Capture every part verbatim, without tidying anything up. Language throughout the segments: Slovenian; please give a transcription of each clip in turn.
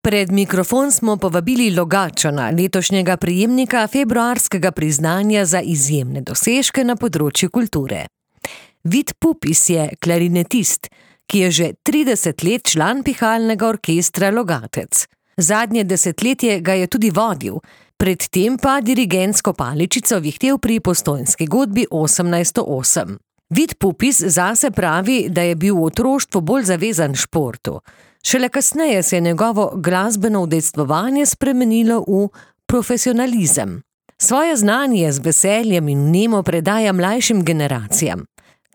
Pred mikrofon smo povabili Logatčana, letošnjega prejemnika februarskega priznanja za izjemne dosežke na področju kulture. Vid Pupis je klarinetist, ki je že trideset let član pihalnega orkestra Logatec. Zadnje desetletje ga je tudi vodil, predtem pa dirigentsko paličico vihtel pri Postojnski godbi osemnajststo osem. Vid Pupis zase pravi, da je bil v otroštvu bolj zavezan športu. Šele kasneje se je njegovo glasbeno udejstvovanje spremenilo v profesionalizem. Svoje znanje z veseljem in vnemo predaja mlajšim generacijam.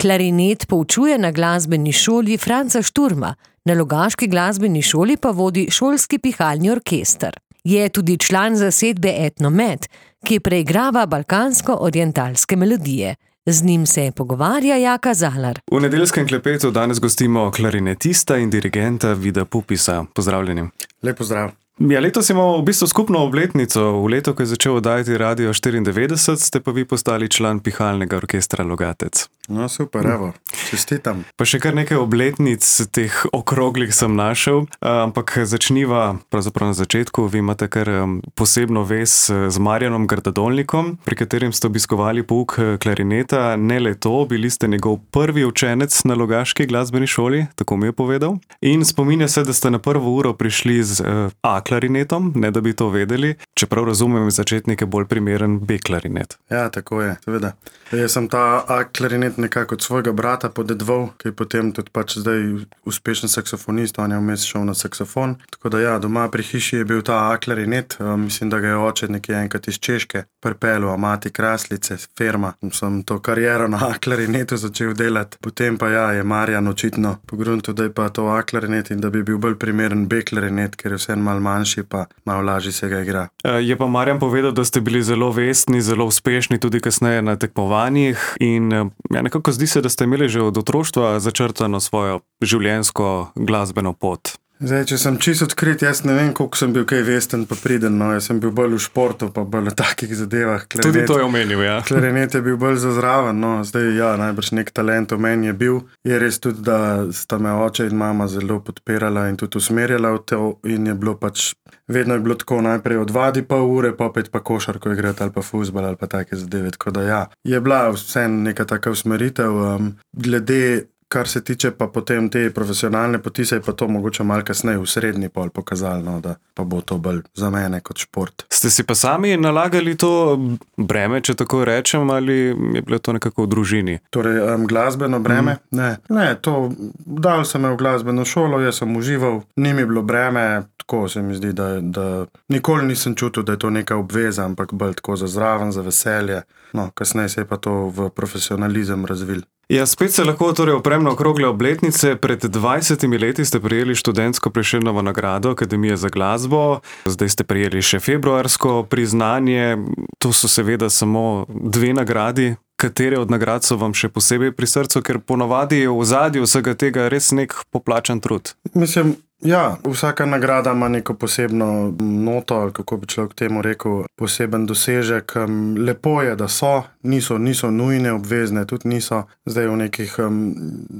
Klarinet poučuje na glasbeni šoli Franca Šturma, na logaški glasbeni šoli pa vodi šolski pihalni orkester. Je tudi član zasedbe Etnomet, ki preigrava balkansko-orientalske melodije. Z njim se pogovarja Jaka Zalar. V nedeljskem klepetu danes gostimo klarinetista in dirigenta Vida Pupisa. Pozdravljeni. Lep pozdrav. Ja, letos imamo v bistvu skupno obletnico. V letu, ko je začel oddajati Radio štiriindevetdeset, ste pa vi postali član pihalnega orkestra Logatec. No, super, evo, čestitam. Pa še kar nekaj obletnic teh okroglih sem našel, ampak začniva pravzaprav na začetku. Vi imate kar posebno vez z Marjanom Grdadolnikom, pri katerim ste obiskovali pouk klarineta. Ne le to, bili ste njegov prvi učenec na logaški glasbeni šoli, tako mi je povedal. In spominja se, da ste na prvo uro prišli z A klarinetom, ne da bi to vedeli, čeprav razumem začetnike bolj primeren B klarinet. Ja, tako je, seveda. Jaz sem ta A klarinet nekako od svojega brata podedoval, ki je potem tudi pač zdaj uspešen saksofonist, on je vmes šel na saksofon. Tako da ja, doma pri hiši je bil ta A klarinet, mislim, da ga je oče nekje enkrat iz Češke pripeljal, a mati Kraslice, firma. Sem to kariero na A klarinetu začel delati. Potem pa ja, je Marjan očitno pogruntil, da je pa to A klarinet in da bi bil bolj primeren B klarinet, ker je vse malo manjši, pa malo lažje se ga igra. Je pa Marjan povedal, da ste bili zelo vestni, zelo uspešni tudi kasneje na tekmovanjih in ja, nekako zdi se, da ste imeli že od otroštva začrtano svojo življenjsko glasbeno pot. Zdaj, če sem čisto odkrit, jaz ne vem, koliko sem bil kaj vesten pa priden, no, jaz sem bil bolj v športu, pa bolj v takih zadevah. Klarinet, tudi to je omenil, ja. Klarinet je bil bolj zazraven, no, zdaj, ja, najbrž nek talent v meni je bil. Je res tudi, da sta me oče in mama zelo podpirala in tudi usmerjala v to in je bilo pač, vedno je bilo tako, najprej odvadi pol ure, pa opet pa košarko igrati ali pa fuzbal ali pa take zadeve, tako da ja, je bila vseeno neka taka usmeritev, um, glede kar se tiče pa potem te profesionalne poti, se je pa to mogoče malo kasneje v srednji pol pokazalo, no, da pa bo to bolj za mene kot šport. Ste si pa sami nalagali to breme, če tako rečem, ali je bilo to nekako v družini? Torej, um, glasbeno breme? Mm. Ne, ne, to dal sem me v glasbeno šolo, jaz sem užival, ni mi bilo breme, tako se mi zdi, da, da nikoli nisem čutil, da je to neka obveza, ampak bolj tako za zraven, za veselje. No, kasneje se je pa to v profesionalizem razvil. Ja, spet se lahko torej oprem na okrogle obletnice. Pred dvajsetimi leti ste prejeli študentsko Prešernovo nagrado Akademije za glasbo, zdaj ste prejeli še februarsko priznanje. To so seveda samo dve nagradi. Katere od nagrad so vam še posebej pri srcu, ker ponavadi je v ozadju vsega tega res nek poplačan trud? Mislim, ja, vsaka nagrada ima neko posebno noto, ali kako bi človek temu rekel, poseben dosežek. Lepo je, da so, niso, niso nujne, obvezne, tudi niso. Zdaj v nekih um,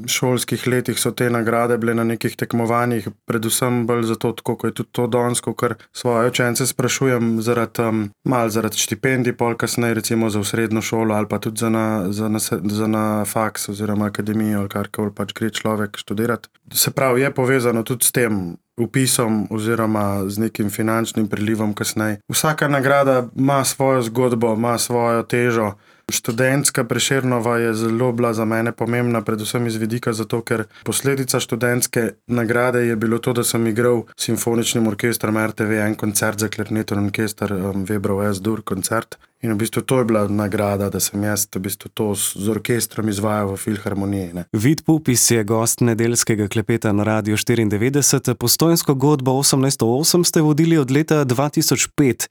šolskih letih so te nagrade bile na nekih tekmovanjih, predvsem bolj zato, tako, ko je tudi to danes, kar svoje učence sprašujem, zaradi, um, malo zaradi štipendij, pol kasneje recimo za srednjo šolo ali pa tudi za na, za na, za na faks oziroma akademijo ali karkoli pač gre človek študirati. Se pravi, je povezano tudi s tem vpisom oziroma z nekim finančnim prilivom kasneje. Vsaka nagrada ima svojo zgodbo, ima svojo težo. Študentska Prešernova je zelo bila za mene pomembna, predvsem iz vidika zato, ker posledica študentske nagrade je bilo to, da sem igral s simfoničnim orkestrom R T V en koncert za klarinet in orkester um, Weberov S-dur koncert. In v bistvu to je bila nagrada, da sem jaz v bistvu to z orkestrom izvajal v filharmoniji. Ne. Vid Pupis je gost nedeljskega klepeta na Radio štiriindevetdeset. Postojnsko godbo osemnajststo osem ste vodili od leta dva tisoč pet.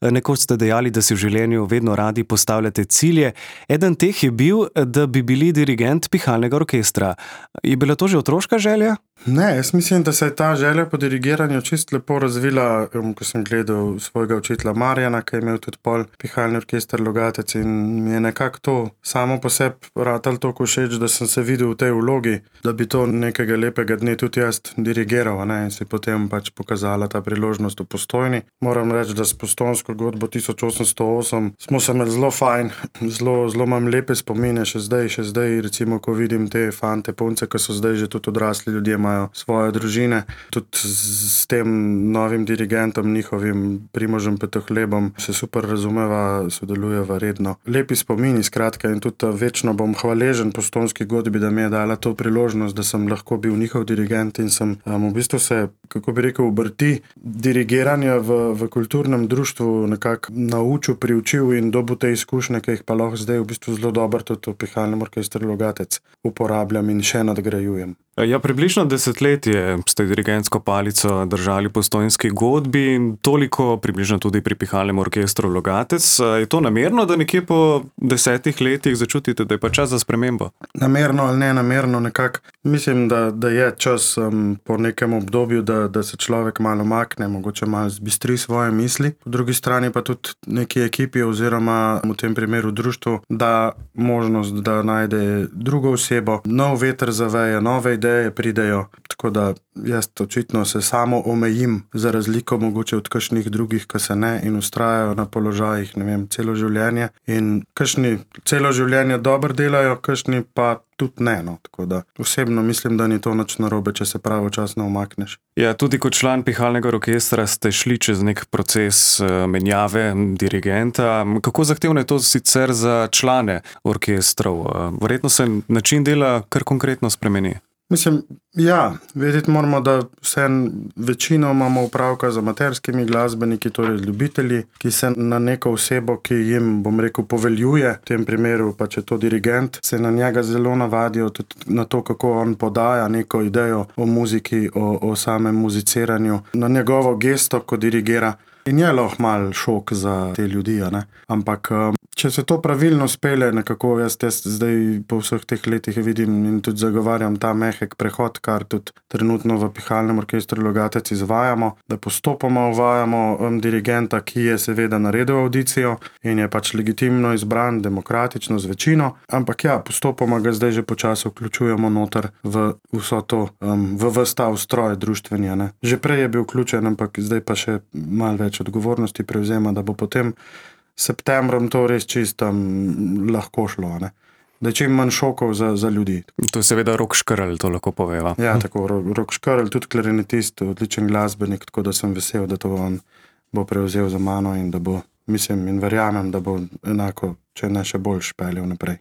Nekoč ste dejali, da si v življenju vedno radi postavljate cilje. Eden teh je bil, da bi bili dirigent pihalnega orkestra. Je bila to že otroška želja? Ne, jaz mislim, da se je ta želja po dirigiranju čist lepo razvila, ko sem gledal svojega učitelja Marjana, ki je imel tudi pol pihalni orkester Logatec in mi je nekako to samo po sebi ratalo toliko všeč, da sem se videl v tej vlogi, da bi to nekega lepega dne tudi jaz dirigiral, ne, in si potem pač pokazala ta priložnost v Postojni. Moram reči, da s Postojnsko godbo tisoč osemsto osem smo se imeli zelo fajn, zelo, zelo imam lepe spomine še zdaj, še zdaj recimo, ko vidim te fante, punce, ki so zdaj že tudi odrasli ljudje, imajo svoje družine. Tudi s tem novim dirigentom, njihovim Primožem Petohlebom, se super razumeva, sodelujeva redno. Lepi spomini, skratka, in tudi večno bom hvaležen Postojnski godbi, da mi je dala to priložnost, da sem lahko bil njihov dirigent in sem um, v bistvu se, kako bi rekel, obrti dirigiranja v, v kulturnem društvu nekako naučil, priučil in dobil te izkušnje, ki jih pa lahko zdaj v bistvu zelo dobro tudi v pihalnem orkestru Logatec uporabljam in še nadgrajujem. Ja, približno desetletje ste dirigentsko palico držali Postojnski godbi in toliko približno tudi pri pihalnem orkestru Logatec. Je to namerno, da nekje po desetih letih začutite, da je pa čas za spremembo? Namerno ali ne namerno, nekako mislim, da, da je čas um, po nekem obdobju, da, da se človek malo makne, mogoče malo zbistri svoje misli. Po drugi strani pa tudi neki ekipi oziroma v tem primeru društvu da možnost, da najde drugo osebo, nov veter zaveje, nove ideje pridejo, tako da jaz očitno se samo omejim za razliko mogoče od kakšnih drugih, ki se ne in ustrajajo na položajih, ne vem, celo življenje in kakšni celo življenje dobro delajo, kakšni pa tudi ne, no, tako da osebno mislim, da ni to nič narobe, če se pravočasno umakneš. Ja, tudi kot član pihalnega orkestra ste šli čez nek proces menjave dirigenta. Kako zahtevno je to sicer za člane orkestrov? Verjetno se način dela kar konkretno spremeni. Mislim, ja, vedeti moramo, da vse večino imamo upravka z amaterskimi glasbeniki, torej ljubitelji, ki se na neko osebo, ki jim, bom rekel, poveljuje, v tem primeru pa če to dirigent, se na njega zelo navadijo tudi na to, kako on podaja neko idejo o muziki, o, o samem muziciranju, na njegovo gesto, ko dirigira. In je lahko mal šok za te ljudi, ne? Ampak če se to pravilno spele, nekako jaz, jaz zdaj po vseh teh letih vidim in tudi zagovarjam ta mehek prehod, kar tudi trenutno v pihalnem orkestru Logatec izvajamo, da postopoma uvajamo um, dirigenta, ki je seveda naredil audicijo in je pač legitimno izbran, demokratično z večino, ampak ja, postopoma ga zdaj že počasi vključujemo noter v vso to, um, v ves ta ustroj društveni, ne? Že prej je bil vključen, ampak zdaj pa še malo več odgovornosti prevzema, da bo potem septembrom to res čisto um, lahko šlo, ne? Da je čim manj šokov za, za ljudi. To je seveda Rok Škrl, to lahko poveva. Ja, tako, Rok Škrl, tudi klarinetist, odličen glasbenik, tako da sem vesel, da to on bo prevzel za mano in da bo, mislim in verjamem, da bo enako, če ne še bolj špeljal naprej.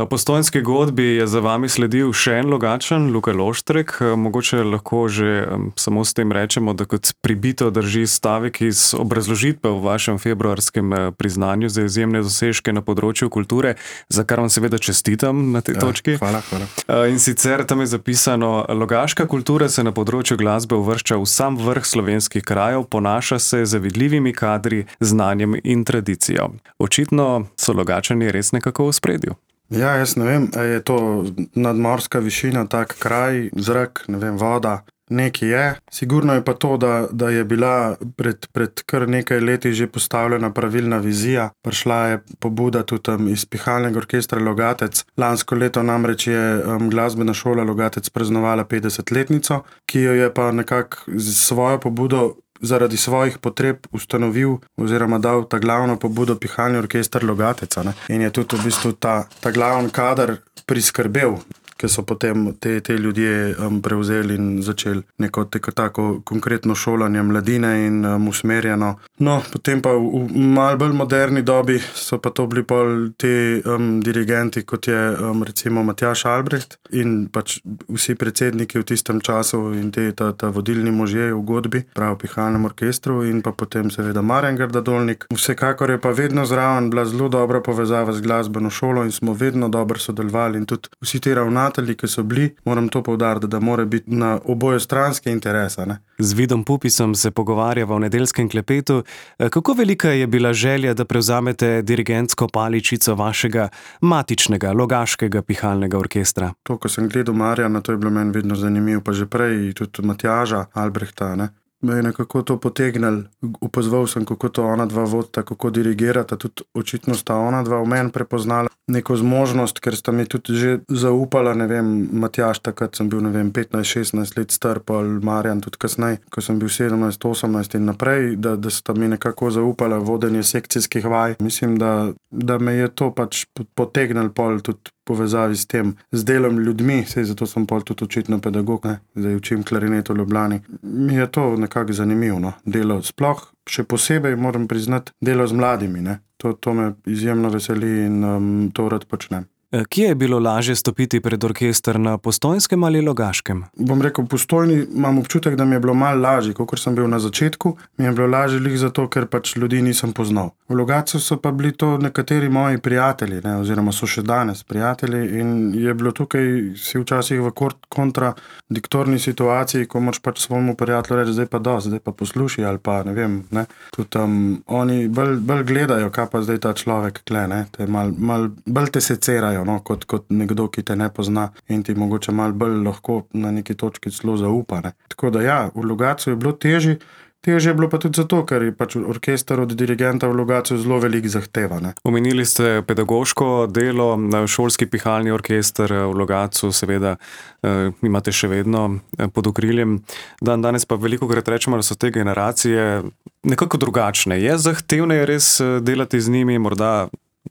Postojnski godbi je za vami sledil še en Logatčan, Luka Loštrek. Mogoče lahko že samo s tem rečemo, da kot pribito drži stavek iz obrazložitve v vašem februarskem priznanju za izjemne dosežke na področju kulture, za kar vam seveda čestitam na tej ja, točki. Hvala, hvala. In sicer tam je zapisano: Logaška kultura se na področju glasbe uvršča v sam vrh slovenskih krajev, ponaša se z vidljivimi kadri, znanjem in tradicijo. Očitno so Logatčani res nekako v ospredju. Ja, jaz ne vem, je to nadmorska višina, tak kraj, zrak, ne vem, voda, nekaj je. Sigurno je pa to, da, da je bila pred, pred kar nekaj leti že postavljena pravilna vizija. Prišla je pobuda tudi um, iz pihalnega orkestra Logatec. Lansko leto namreč je um, glasbena šola Logatec praznovala petdesetletnico, ki jo je pa nekako z svojo pobudo zaradi svojih potreb ustanovil oziroma dal ta glavno pobudo pihalni orkester Logateca, ne? In je tudi v bistvu ta, ta glavni kader priskrbel, ki so potem te, te ljudje um, prevzeli in začeli neko teko tako konkretno šolanje mladine in um, usmerjeno. No, potem pa v, v malo bolj moderni dobi so pa to bili pol te um, dirigenti, kot je um, recimo Matjaž Albrecht in pač vsi predsedniki v tistem času in te, ta, ta vodilni možje v godbi, prav v pihalnem orkestru in pa potem seveda Marjan Grdadolnik. Vsekakor je pa vedno zraven bila zelo dobra povezava z glasbeno šolo in smo vedno dobro sodelovali in tudi vsi te ravnali prijatelji, ki so bili, moram to poudariti, da mora biti na oboje stranske interesa. Ne? Z Vidom Pupisom se pogovarjava v nedeljskem klepetu. Kako velika je bila želja, da prevzamete dirigentsko paličico vašega matičnega, logaškega pihalnega orkestra? To, ko sem gledal Marjana, to je bilo meni vedno zanimivo, pa že prej tudi Matjaža Albrehta, ne? Me je nekako to potegnil, upozoval sem, kako to ona dva vodita, kako dirigirata, tudi očitno sta ona dva v meni prepoznala neko zmožnost, ker sta mi tudi že zaupala, ne vem, Matjaž takrat sem bil, ne vem, petnajst šestnajst let star, pa Marjan tudi kasneje, ko sem bil sedemnajst osemnajst in naprej, da, da sta mi nekako zaupala vodenje sekcijskih vaj. Mislim, da, da me je to pač potegnil pol tudi povezavi s tem, z delom ljudmi, sej zato sem pol tudi očitno pedagog, ne, zdaj učim klarinet v Ljubljani. Mi je to nekako zanimivo, no, delo sploh, še posebej moram priznati, delo z mladimi, ne, to, to me izjemno veseli in um, to rad počnem. Kje je bilo lažje stopiti pred orkester, na Postojnskem ali Logaškem? Bom rekel, v Postojni imam občutek, da mi je bilo malo lažje, kakor sem bil na začetku, mi je bilo lažje lih zato, ker pač ljudi nisem poznal. V Logatcu so pa bili to nekateri moji prijatelji, ne, oziroma so še danes prijatelji in je bilo tukaj si včasih v kontradiktorni situaciji, ko moraš pač svojemu prijatelju reči, zdaj pa do, zdaj pa posluši ali pa ne vem, ne. Tudi tam oni bolj, bolj gledajo, kaj pa zdaj ta človek kle, ne, te mal, mal, bolj te secerajo. No, kot, kot nekdo, ki te ne pozna in ti mogoče malo bolj lahko na neki točki celo zaupa. Ne. Tako da ja, v Logatcu je bilo težje, težje je bilo pa tudi zato, ker je pač orkester od dirigenta v Logatcu zelo veliko zahteva. Ne. Omenili ste pedagoško delo, šolski pihalni orkester v Logatcu, seveda eh, imate še vedno pod okriljem. Dan danes pa velikokrat rečemo, da so te generacije nekako drugačne. Je zahtevneje res delati z njimi, morda,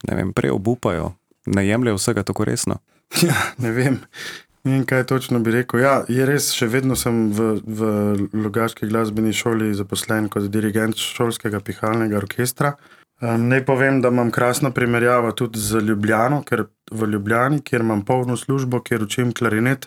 ne vem, prej obupajo? Ne jemljajo vsega tako resno? Ja, ne vem. Ne vem, kaj točno bi rekel. Ja, je res, še vedno sem v, v Logaški glasbeni šoli zaposlen kot dirigent šolskega pihalnega orkestra. Um, naj povem, da imam krasno primerjavo tudi z Ljubljano, ker v Ljubljani, kjer imam polno službo, kjer učim klarinet,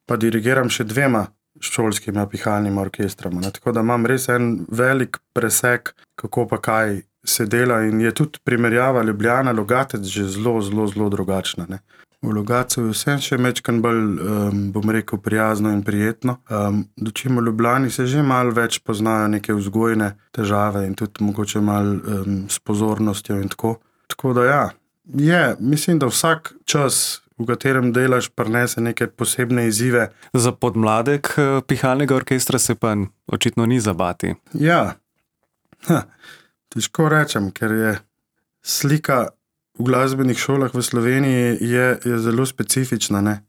pa dirigiram še dvema šolskima pihalnima orkestrama. Ne? Tako da imam res en velik presek, kako pa kaj se dela in je tudi primerjava Ljubljana, Logatec že zelo, zelo, zelo drugačna. Ne. V Logatcu je vse še mečkan bolj, um, bom rekel, prijazno in prijetno. Um, dočim v Ljubljani se že malo več poznajo neke vzgojne težave in tudi mogoče malo um, s pozornostjo in tako. Tako da ja, je, mislim, da vsak čas, v katerem delaš, prinese neke posebne izzive. Za podmladek pihalnega orkestra se pa očitno ni zabati. Ja, ha. Težko rečem, ker je slika v glasbenih šolah v Sloveniji je, je zelo specifična. Ne?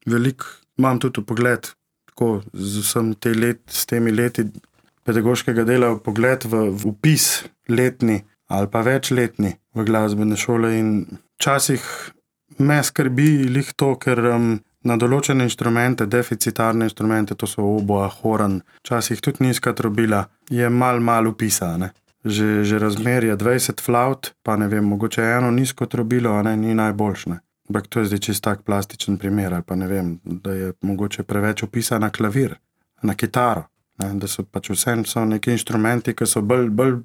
Veliko imam tudi pogled, tako z vsem te let, s temi leti pedagoškega dela, pogled v, v upis letni ali pa večletni v glasbene šole in včasih me skrbi lih to, ker um, na določene inštrumente, deficitarne inštrumente, to so oboa, horan, včasih tudi nizka trobila, je mal mal upisa, ne. Že, že razmerje dvajset flaut, pa ne vem, mogoče eno nizko trobilo, a ne, ni najboljšne. Ampak to je zdaj čist tak plastičen primer, ali pa ne vem, da je mogoče preveč opisa na klavir, na kitaro, ne, da so pač vse so neki inštrumenti, ki so bolj, bolj,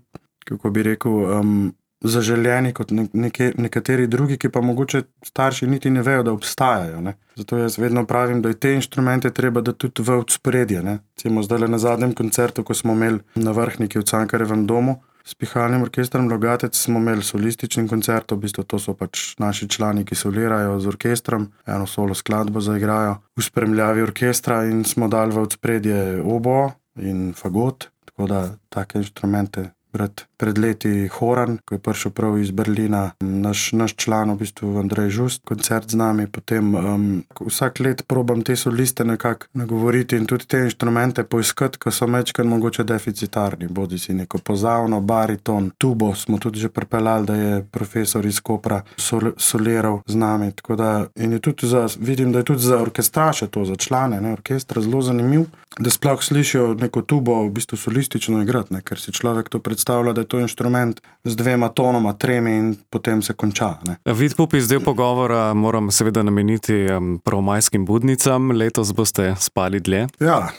kako bi rekel, um, zaželjeni kot ne, neke, nekateri drugi, ki pa mogoče starši niti ne vejo, da obstajajo. Ne. Zato jaz vedno pravim, da je te inštrumente treba da tudi v odspredje. Recimo zdaj na zadnjem koncertu, ko smo imeli na Vrhniki v Cankarjevem domu, s pihalnim orkestrom Logatec smo imeli solistični koncert, v bistvu to so pač naši člani, ki solirajo z orkestrom, eno solo skladbo zaigrajo v spremljavi orkestra in smo dali v odspredje oboe in fagot, tako da take inštrumente pred, pred leti horan, ko je prišel prav iz Berlina naš, naš član, v bistvu Andrej Žust, koncert z nami, potem um, vsak let probam te soliste nekako nagovoriti in tudi te inštrumente poiskati, ko so mečkan mogoče deficitarni, bodi si neko pozavno, bariton, tubo smo tudi že pripeljali, da je profesor iz Kopra sol, soliral z nami, tako da in je tudi za, vidim, da je tudi za orkestraše to, za člane, ne, orkestra zelo zanimiv, da sploh slišijo neko tubo v bistvu solistično igrati, ne, ker si človek to predstavlja, da je to inštrument z dvema tonoma, tremi in potem se konča. Ne. Vid Pupis, del pogovora moram seveda nameniti um, prvomajskim budnicam. Letos boste spali dlje? Ja,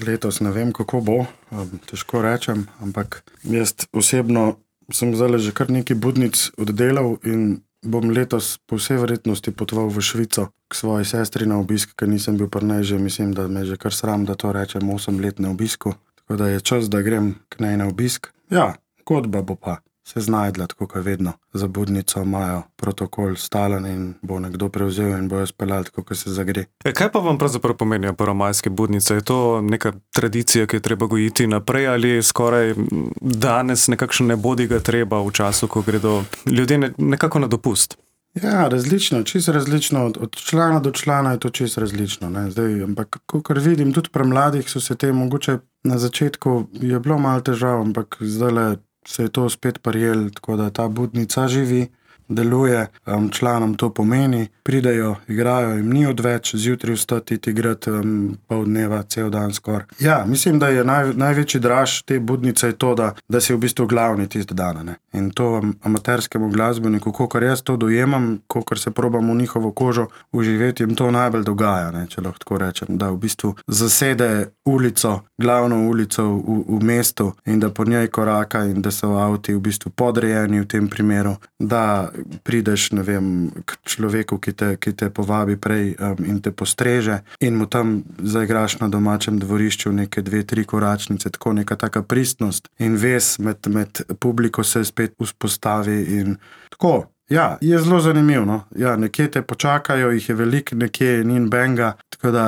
letos ne vem, kako bo, um, težko rečem, ampak jaz osebno sem zdaj že kar nekaj budnic oddelal in bom letos po vsej verjetnosti potoval v Švico k svoji sestri na obisk, ker nisem bil pri njej že, mislim, da me že kar sram, da to rečem, osem let na obisku. Tako da je čas, da grem k njej na obisk. Ja, godba bo pa se znajdla, tako kot vedno. Za budnico imajo protokol stalen in bo nekdo prevzel in bojo speljali, tako kot se zagre. E, kaj pa vam pravzaprav pomenijo prvomajske budnice? Je to neka tradicija, ki je treba gojiti naprej ali skoraj danes nekakšen ne bodi ga treba v času, ko gredo ljudje ne, nekako na dopust? Ja, različno, čisto različno. Od, od člana do člana je to čisto različno. Ne? Zdaj, ampak, kakor vidim, tudi pri mladih so se te mogoče na začetku je bilo malo težav, ampak zdaj se je to spet prijel, tako da ta budnica živi, deluje, um, članom to pomeni, pridejo, igrajo, jim ni odveč, zjutraj vstati igrati um, pol dneva, cel dan skoraj. Ja, mislim, da je naj, največji draž te budnice je to, da, da si v bistvu glavni tiste dana. Ne? In to amaterskemu glasbeniku, kakor jaz to dojemam, kakor se probam v njihovo kožo uživeti, jim to najbolj dogaja, ne? Če lahko tako rečem, da v bistvu zasede ulico, glavno ulico v, v mestu in da po njej koraka in da so avti v bistvu podrejeni v tem primeru, da prideš, ne vem, k človeku, ki te, ki te povabi prej um, in te postreže in mu tam zaigraš na domačem dvorišču neke dve, tri koračnice, tako neka taka pristnost in vez med, med publiko se spet vzpostavi in tako. Ja, je zelo zanimivo, no. Ja, nekje te počakajo, jih je veliko, nekje ni benga, tako da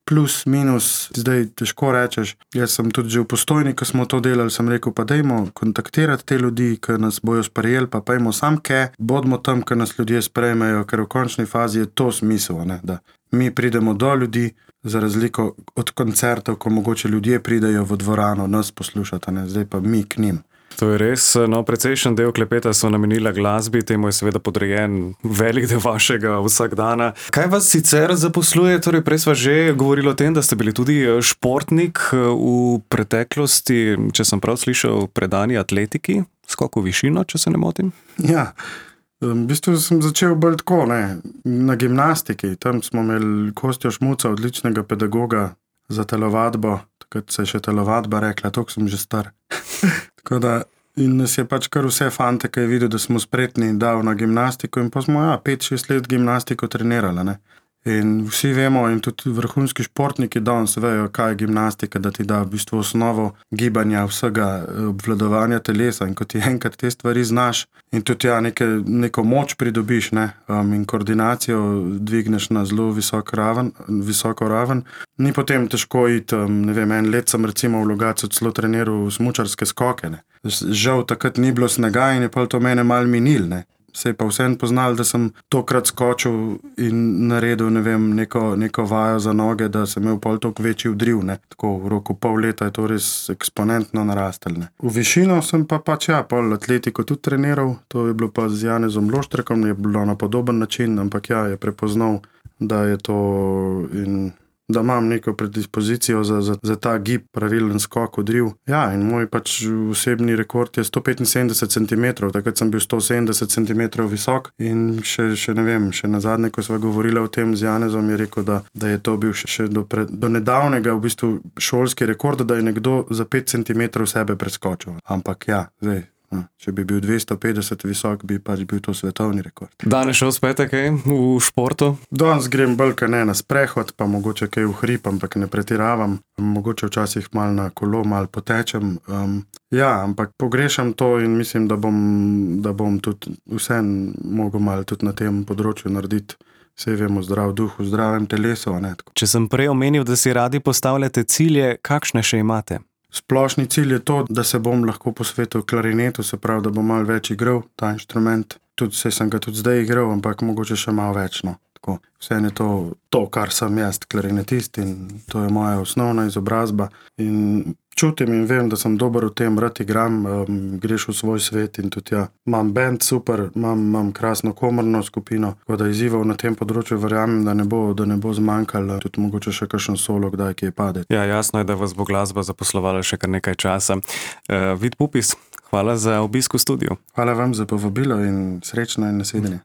plus, minus, zdaj težko rečeš. Jaz sem tudi že v Postojni, ko smo to delali, sem rekel, pa dajmo kontaktirati te ljudi, ki nas bojo sprejeli, pa pojmo sam ke, bodimo tam, ki nas ljudje sprejmejo, ker v končni fazi je to smisel, ne? Da mi pridemo do ljudi, za razliko od koncertov, ko mogoče ljudje pridejo v dvorano nas poslušati, ne? Zdaj pa mi k njim. To je res, no, precejšen del klepeta so namenila glasbi, temu je seveda podrejen velik del vašega vsakdana. Kaj vas sicer zaposluje? Torej, prej sva že govorili o tem, da ste bili tudi športnik v preteklosti, če sem prav slišal, predani atletiki, skok v višino, če se ne motim? Ja, v bistvu sem začel bolj tako, ne, na gimnastiki. Tam smo imeli Kostjo Šmuca, odličnega pedagoga za telovadbo, takrat se je še telovadba rekla, toliko sem že star. Tako da, in nas je pač kar vse fante, ki je videl, da smo spretni, dal na gimnastiko in pa smo, ja, pet, šest let gimnastiko trenirali, ne. In vsi vemo, in tudi vrhunski športniki danes vejo, kaj je gimnastika, da ti da v bistvu osnovo gibanja, vsega obvladovanja telesa in ko ti enkrat te stvari znaš in tudi ja, neke, neko moč pridobiš, ne, um, in koordinacijo dvigneš na zelo visok raven, visoko raven, ni potem težko iti, um, ne vem, en let sem recimo v Logatcu celo treniral smučarske skoke, ne. Žal takrat ni bilo snega in je pa to mene malo minil, ne. Se je pa vsem poznal, da sem tokrat skočil in naredil, ne vem, neko, neko vajo za noge, da sem imel pol toliko večji vdriv, ne. Tako v roku pol leta je to res eksponentno narastel, ne. V višino sem pa pač, ja, pol atletiko tudi treniral, to je bilo pa z Janezom Loštrekom, je bilo na podoben način, ampak ja, je prepoznal, da je to in da imam neko predispozicijo za, za, za ta gib, pravilen skok, odriv. Ja, in moj pač osebni rekord je sto petinsedemdeset centimetrov, takrat sem bil sto sedemdeset centimetrov visok in še, še ne vem, še nazadnje, ko sva govorila o tem z Janezom, je rekel, da, da je to bil še, še do, pre, do nedavnega v bistvu šolski rekord, da je nekdo za pet centimetrov sebe preskočil. Ampak ja, zdaj, če bi bil dvesto petdeset visok, bi pač bil to svetovni rekord. Danes še uspete kaj v športu? Danes grem bolj kaj ne na sprehod, pa mogoče kaj v hrib, ampak ne pretiravam. Mogoče včasih malo na kolo, malo potečem. Um, ja, ampak pogrešam to in mislim, da bom, da bom tudi vsem mogel malo tudi na tem področju narediti. Saj vemo, zdrav duh v zdravem telesu, a ne tako. Če sem prej omenil, da si radi postavljate cilje, kakšne še imate? Splošni cilj je to, da se bom lahko posvetil klarinetu, se pravi, da bom malo več igral ta inštrument. Tudi se sem ga tudi zdaj igral, ampak mogoče še malo več, no. Tako, vse je to, to, kar sem jaz, klarinetist in to je moja osnovna izobrazba. In čutim in vem, da sem dober v tem, rad igram, um, greš v svoj svet in tudi ja, imam band super, imam, imam krasno komorno skupino, tako da izzivov na tem področju verjamem, da ne bo, da ne bo zmanjkalo, tudi mogoče še kakšen solo, kdaj kje pade. Ja, jasno je, da vas bo glasba zaposlovala še kar nekaj časa. Uh, Vid Pupis, hvala za obisk v studiu. Hvala vam za povabilo in srečno in nasvidenje.